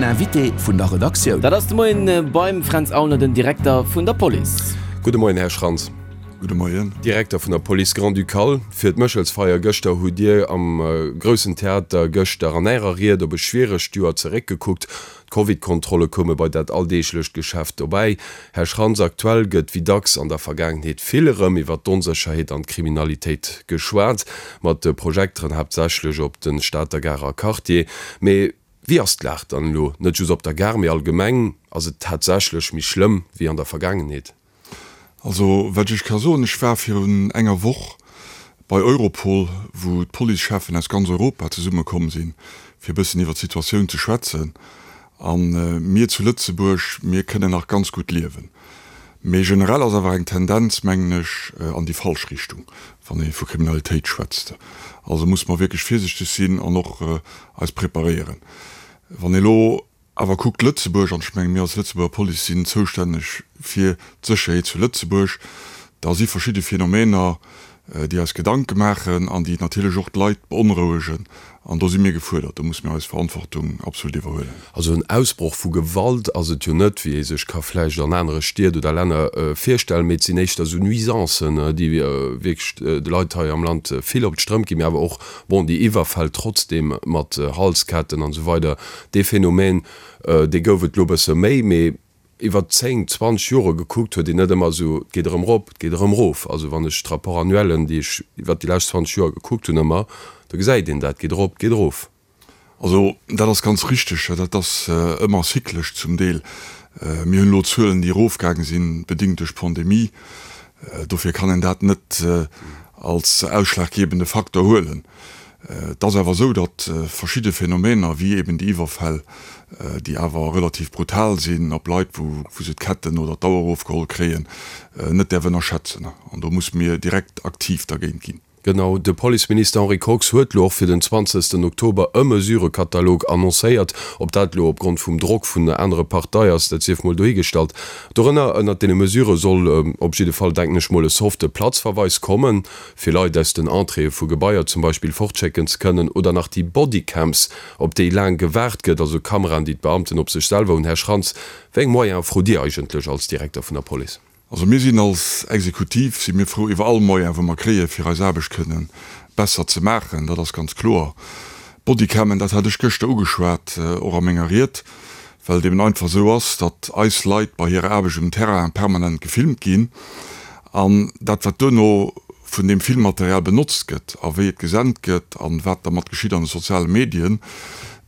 Invité vun der Redaktioun. Dat ass de Moien beim Fränz Aulner, den Direkter vun der Police. Gudde Moien, Här Schrantz. Gudde Moien. Direkter vun der Police Grand-Ducale. Fir d'Méchelsfeier gëschter hutt Dir am Groussen Theater gëschter an Ärer Ried op e schwieregt Joer zeréckgekuckt. D'Covid-Kontrolle koume bei dat alldeeglecht Geschäft dobäi. Här Schrantz, aktuell gëtt wéi dacks an der Vergaangenheet vill erëm iwwer d'Onsécherheet an d'Kriminalitéit geschwat, mat de Projekteren haaptsächlech op de Stater Garer Quartier. Mee wéi ass d'Lag dann elo, net just op der Gare, mee allgemeng? Ass et tatsächlech méi schlëmm wéi an der Vergaangenheet? Also, wat ech ka soen, ech war virun enger Woch bei Europol, wou d'Policecheffen aus ganz Europa zesummekomm sinn, fir e bëssen iwwert d'Situatioun ze schwätzen. A mir zu Lëtzebuerg, mir kënnen nach ganz gutt liewen. Mee generell ass awer eng Tendenz, mengen ech, an déi falsch Richtung, wann ee vu Kriminalitéit schwätzt. Also musse mer wierklech virsichteg sinn an och eis preparéieren. Wann ee elo Awer kuckt Lëtzebuerg, an ech menge mir als Lëtzebuerger Police sinn zoustänneg fir d'Sécherheet zu Lëtzebuerg, da si verschidde Phänomener, déi eis Gedanke maachen an déi natierlech och d'Leit beonrouegen. An do si mir gefuerdert, do musse mir eis Verantwortung absolut iwwerhuelen. Also en Ausbroch vu Gewalt ass et jo net, wéi ee sech ka vläicht an anere Stied oder Länner virstellen, mee et sinn éischter esou Nuisancen, déi wierklech de Leit hei am Land vill op d'Strëmp ginn, mee awer och, bon, déi Iwwerfäll trotzdeem mat Halsketten an esou weider, Dee Phänomen, dee gouf et elo e bësse méi, mee iwwer 10, 20 Jore gekuckt huet een net ëmmer esou, et geet erëm erop, et geet erëm erof. Also wann ech d'Rapport-annuellen, déi ech iwwer déi lescht 20 Joer gekuckt hunn, ëmmer, da gesäit een dat, et geet erop, et geet erof. Also dat ass ganz richteg, dat ass ëmmer zyklesch zum Deel. Mir hunn elo Zuelen, déi erofgaange sinn, bedingt duerch d'Pandemie. Dofir kann een dat net als ausschlaggebende Faktor huelen. Et ass awer esou, datt verschidde Phänomener, wéi eben déi Iwwerfäll, déi awer relativ brutal sinn op Leit, wou se d'Ketten oder d'Auer erofgeholl kréien, net däerf ënnerschätzen. An do musse mir direkt aktiv dergéint ginn. Genau, de Policeminister Henri Kox huet elo och fir den 20 Oktober e Mesurëkatalog annoncéiert. Ob dat elo opgrond vum Drock vun anere Partei ass, dat sief mol dohigestallt. Dorënner, ënnert deene Mesurë soll op jidde Fall, denken ech mol, e softe Platzverweis kommen. fir Leit aus den Entréeë vu Gebaier zum Beispill fortschécken ze kënnen, oder nach déi Bodycams, op déi laang gewaart gëtt, also Kameraen, déi d'Beamten op sech selwer hunn. Här Schrantz, wéi eng Moyene frot Dir eigentlech als Direkter vun der Police? Also mir sinn als Exekutiv si mir frou iwwer all Moyen, wou mer kréien, fir eis Aarbecht kënnen besser ze maachen. Dat ass ganz kloer. Bodycammen, dat hat ech gëschter ugeschwat, och a menger Ried, well et eben einfach esou ass, datt eis Leit bei hirer Aarbecht um Terrain permanent gefilmt ginn an dat, wat duerno vun deem Filmmaterial benotzt gëtt a wéi et gesent gëtt an wat dermat geschitt an de soziale Medien,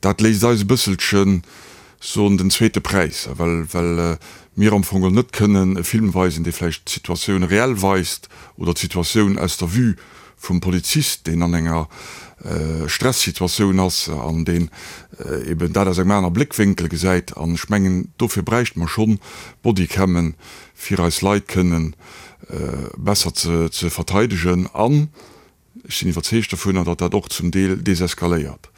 dat léisst eis e bësselchen soen den zweete Präis, well well mir am Fong net kënnen e Film weisen, dee vläicht d'Situatioun reell weist oder d'Situatioun aus der Vue vum Polizist, deen an enger Stressituatioun ass an deen eben dat aus engem aner Bléckwénkel gesäit. An ech mengen, dofir bräichte mer schonn Bodycammen, fir eis Leit kënnen besser ze verteidegen. An ech sinn iwwerzeegt dovunner, datt dat och zum Deel deseskaléiert,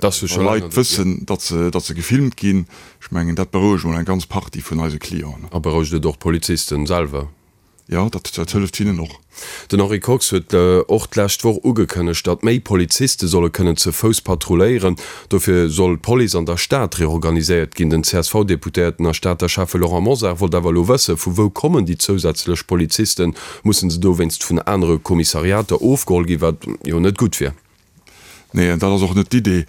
wa Leit wëssen, datt se gefilmt ginn. Ech mengen, dat berouegt emol eng ganz Partie vun eise Clienten. A berouegt et och d'Polizisten selwer? Jo, dat hëlleft hinnen och. Den Henri Kox huet och d'lescht Woch ugekënnegt, datt méi Poliziste solle kënnen ze Fouss patrulléieren. Dofir soll d'Police an der Stad reorganiséiert ginn. Den CSV-Deputéierten a Stater Schäffe Laurent Mosar wollt awer elo wëssen, vu wou kommen déi zousätzlech Polizisten? Mussen se dowéinst vun anere Kommissariater ofgeholl ginn, wat jo net gutt wier? Nee, dat ass och net d'Idee.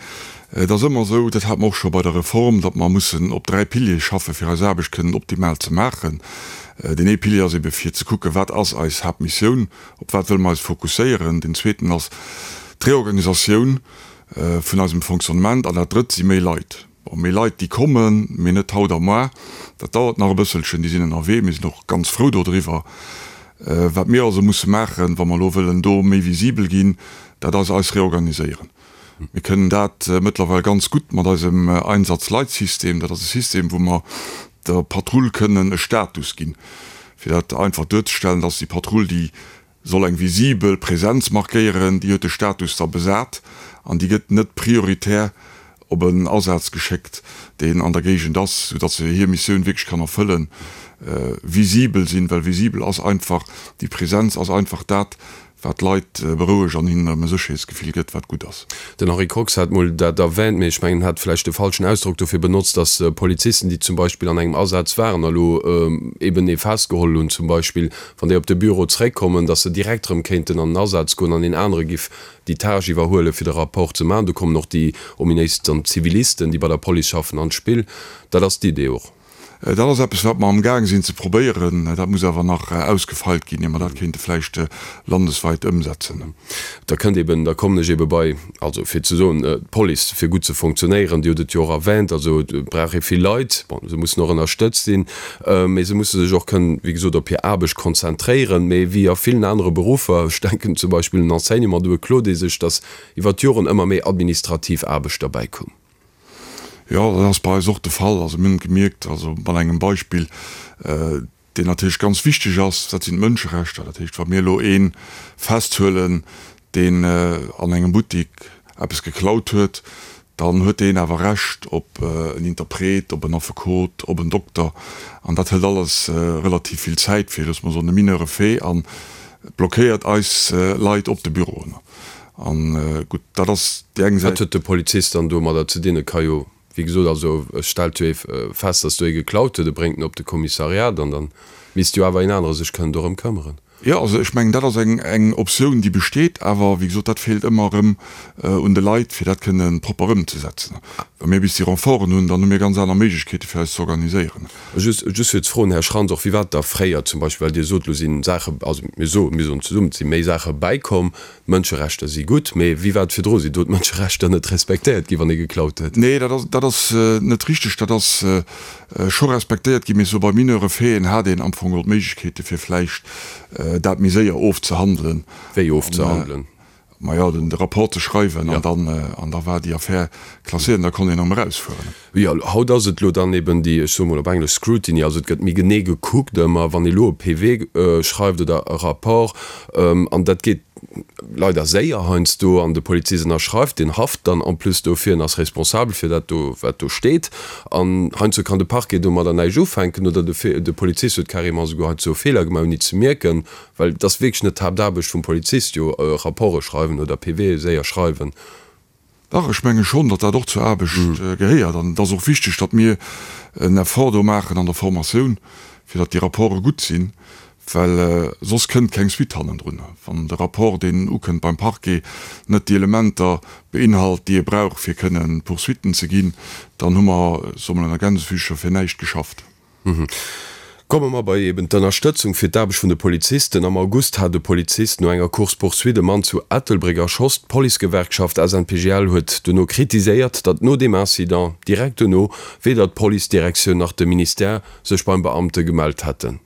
Et ass ëmmer esou, dat hate mer och scho bei der Reform, datt mer mussen op 3 Piliere schaffen, fir eis Aarbecht kënnen optimal ze maachen. Deen ee Pilier ass ebe fir ze kucken, wat ass eis Haaptmissioun, op wat wëlle mer eis fokusséieren. Deen zweeten ass d'Reorganisatioun vun eisem Fonctionnement an dat drëtt si méi Leit. Bon, méi Leit, déi kommen, mee net haut a moar. Dat dauert nach e bësselchen. Déi sinn ënnerwee. Mir sinn och ganz frou dodriwwer. Wat mir also musse maachen, wa mer elo wëllen do méi visibel ginn, dat ass eis reorganiséieren. Mir kënnen dat mëttlerweil ganz gutt mat eisem Einsatzleitsystem. Dat ass e System, wou mer der Patrull kënnen e Status ginn. Fir dat einfach duerzestellen, dat ass déi Patrull, déi soll eng visibel Präsenz markéieren, déi huet de Status da besat an déi gëtt net prioritär op en Asaz geschéckt, deen an der Géigend ass, soudatt se hir Missioun wierklech kann erfëllen, visibel sinn, well visibel ass einfach, déi Präsenz ass einfach dat, Wat d'Leit berouegt an hinnen erëm e Sécherheetsgefill gëtt, wat gutt ass. Den Henri Kox hat mol dat erwähnt, mee ech mengen, en hat vläicht de falschen Ausdrock dofir benotzt, datt Polizisten, déi zum Beispill an engem Asaz waren a lo eben ee festgeholl hunn zum Beispill, wann déi op de Büro zréckkommen, datt se direkt erëm kéinten an den Asaz goen an een anere giff déi Tâche iwwerhuelen, fir de Rapport ze maachen. Do kommen och déi ominéis dann Zivilisten, déi bei der Police schaffen, an d'Spill. Dat ass d'Idee och. Dat ass eppes, wat mer amgaang sinn ze probéieren. Dat muss awer nach ausgefeilt ginn, ier mer dat kéinte vläicht landesweit ëmsetzen. Da kënnt eben, da kommen ech ebe bei, also fir ze soen, d'Police, fir gutt ze fonctionnéieren, Dir hutt et jo och erwähnt, also et brauch ee vill Leit, bon, se mussen och ënnerstëtzt sinn, mee se musse sech och kënnen, wéi gesot, op hir Aarbecht konzentréieren. Mee wéi a villen anere Beruffer, ech denken zum Beispill un den Enseignement, do beklot ee sech, datt iwwer d'Joren ëmmer méi administrativ Aarbecht derbäikoum. Jo, dat ass bei eis och de Fall. Also mir hunn et gemierkt, also mat engem Beispill, deen natierlech ganz wichteg ass, dat sinn d'Mënscherechter. Dat heescht, wa mir elo ee festhuelen, deen an engem Buttik eppes geklaut huet, dann huet deen awer Recht op en Interpret, op en Affekot, op en Dokter. An dat hëlt alles relativ vill Zäit fir, loosse mer soen, e mineure Fait a blockéiert eis Leit op de Büroen. An gutt, dat ass déi eng Säit. Wat huet de Polizist dann domadder ze dinn? E ka jo, wéi gesot, also e stellt jo ee fest, datt do ee geklaut huet, e bréngt en op de Kommissariat an dann misst jo awer een anere sech kënnen dorëm këmmeren. Jo, also ech mengen, dat ass eng eng Optioun, déi besteet, awer wéi gesot, dat feelt ëmmer erëm un de Leit, fir dat kënne propper ëmzesetzen. Wa mir bis déi Renforten hunn, dann hu mir ganz aner Méiglechkeete fir eis ze organiséieren. Just, just fir ze froen, Här Schrantz, och wéi war et da fréier zum Beispill, well Dir sot, elo si Saache, also mir soen, mir soen zesummen, et si méi Saache bäikomm, d'Mënscherechter si gutt, mee wéi war et virdru? Sinn do d'Mënscherechter net respektéiert ginn, wann ee geklaut huet? Nee, dat ass, dat ass net richteg. Dat ass scho respektéiert ginn, mee sou bei mineure Faiten hat een am Fong geholl d'Méiglechkeete fir vläicht dat méi séier ofzehandelen. Wéi ofzehandelen? Majo, den de Rapport ze schreiwen an dann, an da war déi Affär klasséiert an da konnt een erëm erausfueren. Jo, haut ass et elo dann eben déi, ech soe mol op Englesch Scrutiny, also et gëtt méi genee gekuckt ëmmer, wann ee elo e PV schreift oder e Rapport, an dat geet leider séier heiansdo, an de Polizist ënnerschreift, deen haft dann en plus dofir en ass responsabel fir dat do, wat do steet, an heiansdo kann de Parquet domadder näischt ufänken oder de Polizist huet carrément esouguer heiansdo e Feeler gemaach ouni ze mierken. Well et ass wierklech net d'Haaptaarbecht vum Polizist, jo Rapporte schreiwen oder PVe séier schreiwen. Dach, ech menge schonn, datt dat och zur Aarbecht gehéiert. An et ass och wichteg, datt mir en Effort do maachen an der Formatioun, fir datt déi Rapporte gutt sinn, well soss kënnt keng Suite hannendrun. Wann de Rapport, deen ukënnt beim Parquet, net déi Elementer beinhalt, déi e brauch, fir kënnen Poursuitten ze ginn, dann hu mer, soe mer ënner Gänsefüßcher, fir näischt geschafft. Komme mer bei eben d'Ënnerstëtzung fir d'Aarbecht vun de Polizisten. Am August hat e Polizist no enger Course-poursuite e Mann zu Ettelbréck erschoss. D'Policegewerkschaft SNPGL huet dono kritiséiert, datt no deem Incident direkt dono weder d'Policedirektioun nach de Ministère sech beim Beamte gemellt hätten.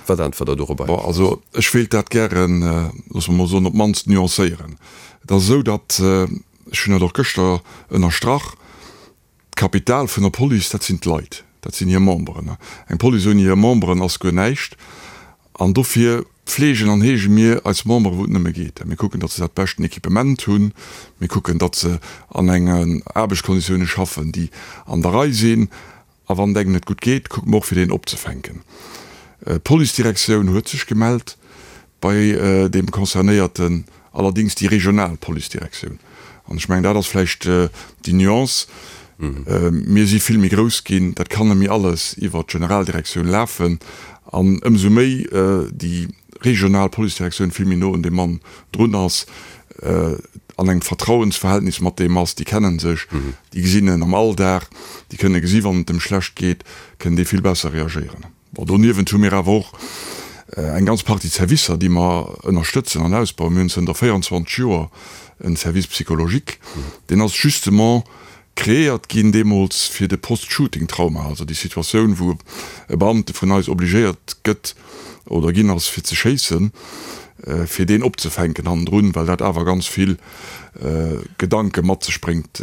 Wat äntwert Der dorobber? Bon, also ech wéilt dat gären, loosse mer mol soen, op d'mannst nuancéieren. Et ass esou, datt, ech hunn dat och gëschter ënnerstrach, D'Kapital vun der Police, dat sinn d'Leit, dat sinn hir Memberen. Eng Police ouni hir Memberen ass guer näischt. An dofir pflegen an heege mir eis Memberen, wou et nëmme geet. Mir kucken, datt se dat beschten Equipement hunn. Mir kucken, datt se an engen Aarbechtskonditioune schaffen, déi an der Rei sinn. A wann et engem net gutt geet, kucke mer och, fir deen opzefänken. D'Policedirektioun huet sech gemellt bei deem Concernéierten, allerdéngs déi regional Policedirektioun. An ech mengen, dat ass vläicht déi Nuance. Mir si vill méi grouss ginn, dat kann net méi alles iwwert d'Generaldirektioun lafen. An ëmsou méi déi regional Policedirektioun vill méi no un deem Mann drun ass, an engem Vertrauensverhältnis mat deem ass, déi kennen sech, déi gesinn en am Alldag, déi kënne gesi wann et em schlecht geet, kënnen déi vill besser reagéieren. Bon, doniewent hu mir awer och eng ganz Partie Servicer, déi mer ënnerstëtzen an ausbauen. Mir hunn zënter 24 Joer en Service psychologique, deen ass justement kreéiert ginn deemools fir de Post-Shooting-Trauma, also déi Situatioun, wou e Beamte vun eis obligéiert gëtt oder ginn ass fir ze schéissen, fir deen opzefänken hannendrun, well dat awer ganz vill Gedanke mat sech bréngt.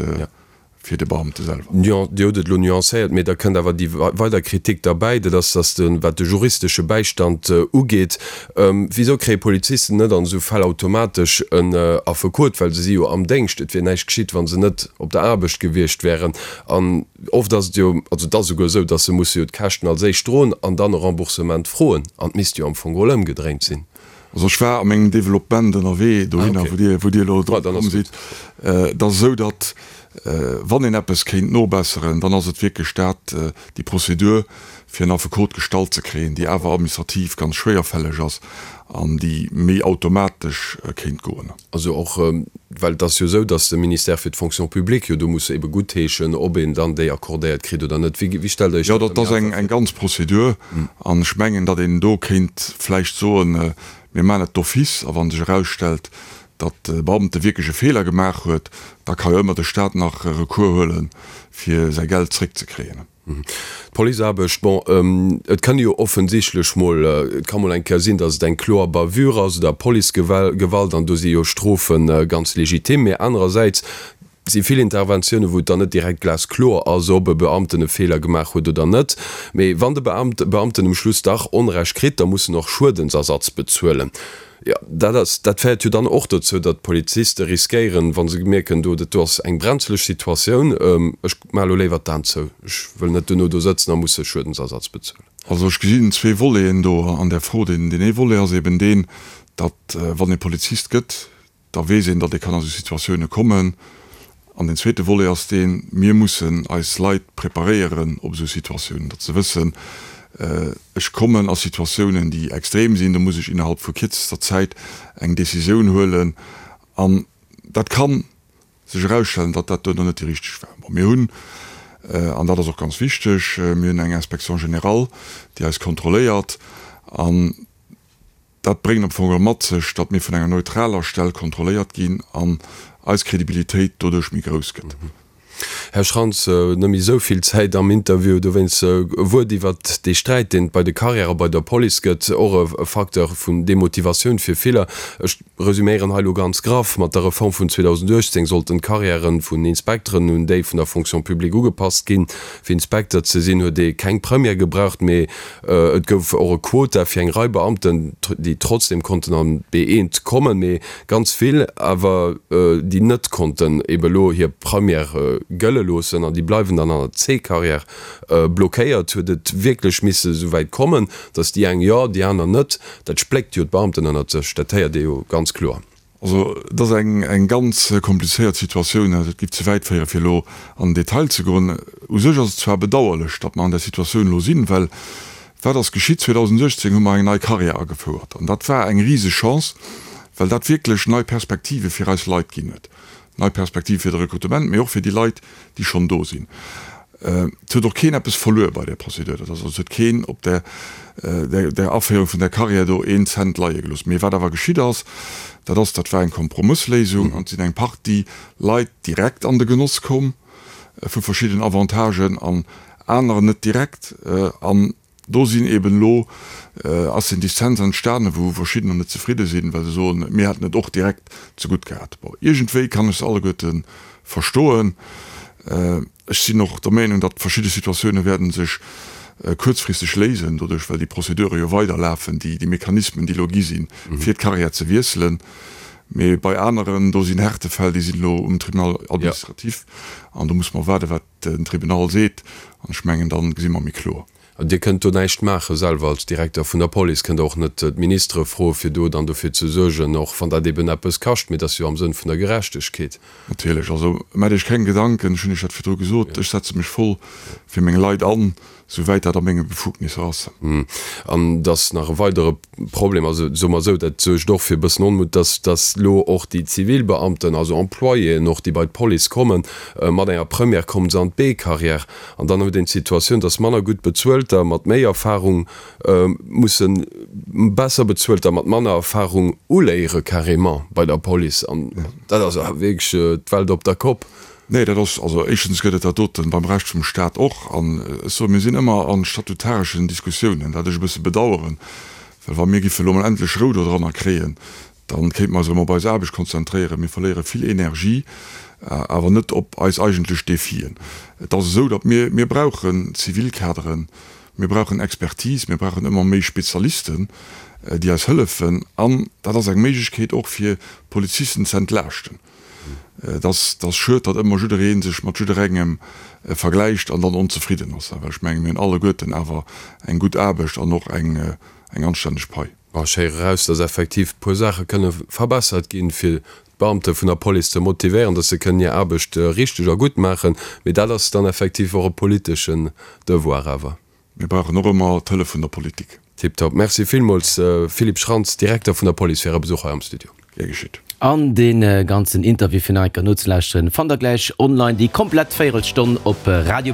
Fir de Beamte selwer. Jo, Dir hutt et elo nuancéiert, mee da kënnt awer déi weider Kritik derbäi, dat ass, dass de, wat de juristesche Bäistand ugeet, wisou kréie Polizisten net an esou Fäll automatesch en Affekot, well se si jo am Déngscht, et wier näischt geschitt, wa se net op der Aarbecht gewiescht wären. An oft ass et jo, also et ass esouguer esou, dass se musse jo d'Käschten als éischt droen an dann e Remboursement froen, an et misst jo am Fong geholl ëmgedréint sinn. Also ech war a mengem Developpement ënnerwee dohinner, wou Dir, wou Dir elo drop komm sidd. Et ass esou, datt wann een eppes kéint nobesseren, dann ass et wierklech dat, déi Prozedur fir en Affekot gestallt ze kréien, déi awer administrativ ganz schwéierfälleg ass an déi méi automatesch kéint goen. Also och, well et ass jo esou, datt de Ministère fir d'Fonction publique jo do muss ebe guttheeschen, ob een dann déi accordéiert kritt oder net. Wéi, wéi stellt Der Iech Jo, dat dat ass eng, eng ganz Prozedur an ech mengen, datt een do kéint vläicht soen, mir maachen et d'office a wa sech erausstellt, datt de Beamte wierklech e Feeler gemaach huet, da ka jo ëmmer de Stat nach Recours huelen, fir säi Geld zréckzekréien. D'Policeaarbecht, bon, et kann jo offensichtlech mol, et ka mol eng Kéier sinn, datt et eng kloer Bavure ass oder Policegewalt, an do si jo Strofe ganz legitim. Mee anerersäits si vill Interventiounen, wou et dann net direkt glaskloer ass, ob e Beamten e Feeler gemaach huet oder net. Mee wann de Beamten um Schluss dach Onrecht kritt, da muss en och Schuedensersatz bezuelen. Jo, dat ass, dat féiert jo dann och dozou, datt d'Poliziste riskéieren, wa se mierken, do, dat do ass eng brenzeleg Situatioun, ech maache lo léiwer d'Aen zou, ech wëll net duerno do sëtzen a musse Schuedensersatz bezuelen. Also ech gesinn zwee Voleten do an där Fro. Deen ee Volet ass eben deen, datt wann ee Polizist gëtt, da weess een, datt ee kann a sou Situatioune kommen. An deen zweete Volet ass deen, mir mussen eis Leit preparéieren op esou Situatiounen, datt se wëssen, ech kommen a Situatiounen, déi extrem sinn, do muss ech innerhalb vu kierzester Zäit eng Décisioun huelen. An dat ka sech erausstellen, datt dat duerno net déi richteg war. Bon, mir hunn, an dat ass och ganz wichteg, mir hunn eng Inspection générale, déi eis kontrolléiert an, Dat bréngt am Fong geholl mat sech, datt mir vun enger neutraler Stell kontrolléiert ginn an eis Kredibilitéit doduerch méi grouss gëtt. Här Schrantz, net méi esou vill Zäit am Interview, dowéinst e Wuert iwwert dee Sträit, deen et bei de Carrièrë bei der Police gëtt, och e Facteur vun Demotivatioun fir viller. Ech resüméieren hei elo ganz graff, Mat der Reform vun 2018 sollten d'Carrièrë vun Inspekteren un déi vun der Fonction publique ugepasst ginn. Fir Inspekter ze sinn, huet ee keng Première gebraucht, mee et gouf och e Quota fir eng Rei Beamten, déi trotzdem konnten an d'B1 kommen, mee ganz vill awer, déi net konnten ebe elo hir Première gëlle loossen an déi bleiwen dann an der C-Carrière blockéiert. Huet et wierklech misse souwäit kommen, datt déi eng jo, déi aner net? Dat spléckt jo d'Beamten ënnert sech, dat héiert ee jo ganz kloer. Also, et ass eng eng ganz komplizéiert Situatioun. Et géif ze wäit féieren, fir elo an den Detail ze goen. U sech ass et zwar bedauerlech, datt mer an där Situatioun elo sinn, well wat ass geschitt? 2018 hu mer eng nei Carrière agefouert an dat war eng riseg Chance, well dat wierklech nei Perspektive fir eis Leit ginn huet. Nei Perspektiv fir de Rekrutement, mee och fir déi Leit, déi schonn do sinn. Et huet och keen eppes verluer bei där Procédure. Dat ass also, et huet keen op där, där Aféierung vun där Carrière do een Cent leie gelooss. Mee wat awer geschitt ass, dat ass, dat war eng Kompromëssléisung an et sinn eng Partie Leit direkt an de Genoss komm vu verschidden Avantagen an anerer net direkt. An Do sinn eben elo, ass den Dissens entstanen, wou verschiddener net zefridde sinn, well se soen, mir hätten et och direkt zegutt gehat. Bon, iergendwéi kann ech se alleguerte verstoen. Ech sinn och der Meenung, datt verschidde Situatioune wäerten sech kuerzfristeg léisen, doduerch well déi Procédure jo weiderlafen, déi Mechanismen, déi elo gi sinn, fir d'Carrière ze wiesselen. Mee bei aneren, do sinn Härtefäll, déi sinn elo um Tribunal administratif an do musse mer waarden, wat den Tribunal seet, an ech mengen, da gesi mer méi kloer. An Dir kënnt do näischt maache selwer als Direkter vun der Police, kënnt Der och net d'Ministere froe fir do dann dofir ze suergen, och wann dat eben eppes kascht, mee et ass jo am Sënn vun der Gerechtegkeet. Natierlech, also maacht Iech keng Gedanken, ech hunn Iech dat virdru gesot, ech setze mech voll fir meng Leit an, souwäit dat a menge Befugnisser ass. An et ass nach e weidere Problem, also soe mer esou, dat suergt och fir e bëssen Onmut, dass dass elo och déi Zivilbeamten, also Employéen och, déi bei d'Police kommen, mat enger Première kommen se an d'B-Carrière. An dann huet een d'Situatioun, dass manner gutt Bezuelter mat méi Erfahrung musse besser Bezuelter mat manner Erfahrung uléiere carrément bei der Police. An dat ass awer wierklech d'Welt op der Kopp. Nee, dat ass, also éischtens gëtt et dat doten beim Rescht vum Stat och. An ech soen, mir sinn ëmmer a statutareschen Diskussiounen, wat ech e bësse bedauern, well wa mir giffe elo mol endlech Rou dodranner kréien, da kéinte mer eis erëm op eis Aarbecht konzentréieren. Mir verléiere vill Energie, awer net op eis eigentlech Defien. Et ass esou, datt mir, mir brauchen Zivilkaderen, mir brauchen Expertise, mir brauchen ëmmer méi Spezialisten, déi eis hëllefen. An dat ass eng Méiglechkeet och fir Polizisten ze entlaaschten. Et ass schued, datt ëmmer jidderee sech mat jidderengem vergläicht an dann onzefridden ass. Well ech menge mir hunn alleguerten awer eng gutt Aarbecht an och eng anstänneg Pai. Bon, ech héiere raus, dass effektiv e puer Saache kënne verbessert ginn, fir d'Beamte vun der Police ze motivéieren, dass se kënnen hir Aarbecht richteg a gutt maachen. Mee dat ass dann effektiv och e politeschen Devoir awer. Mir brauchen och ëmmer d'Hëllef vun der Politik. Tiptop. Merci villmools, Philippe Schrantz, Direkter vun der Police, fir Äre Besuch hei am Studio. Gär geschitt. An dee ganzen Interview fir nach eng Kéier nozelauschteren, fannt der gläich online déi komplett Véierelstonn op radio.rtl.lu.